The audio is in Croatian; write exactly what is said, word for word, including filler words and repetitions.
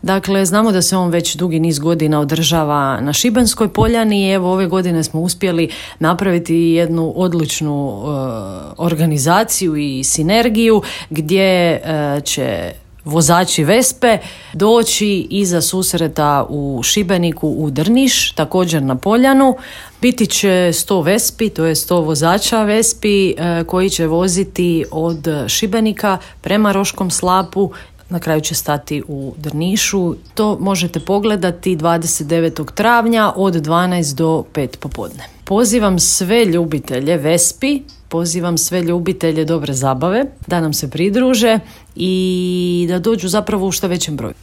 Dakle, znamo da se on već dugi niz godina održava na Šibenskoj poljani i evo ove godine smo uspjeli napraviti jednu odličnu uh, organizaciju i sinergiju gdje uh, će vozači Vespe doći iza susreta u Šibeniku u Drniš, također na Poljanu. Biti će sto Vespi, to je sto vozača Vespi e, koji će voziti od Šibenika prema Roškom slapu. Na kraju će stati u Drnišu. To možete pogledati dvadeset devetog travnja od dvanaest do pet popodne. Pozivam sve ljubitelje Vespi, pozivam sve ljubitelje dobre zabave da nam se pridruže i da dođu zapravo u što većem broju.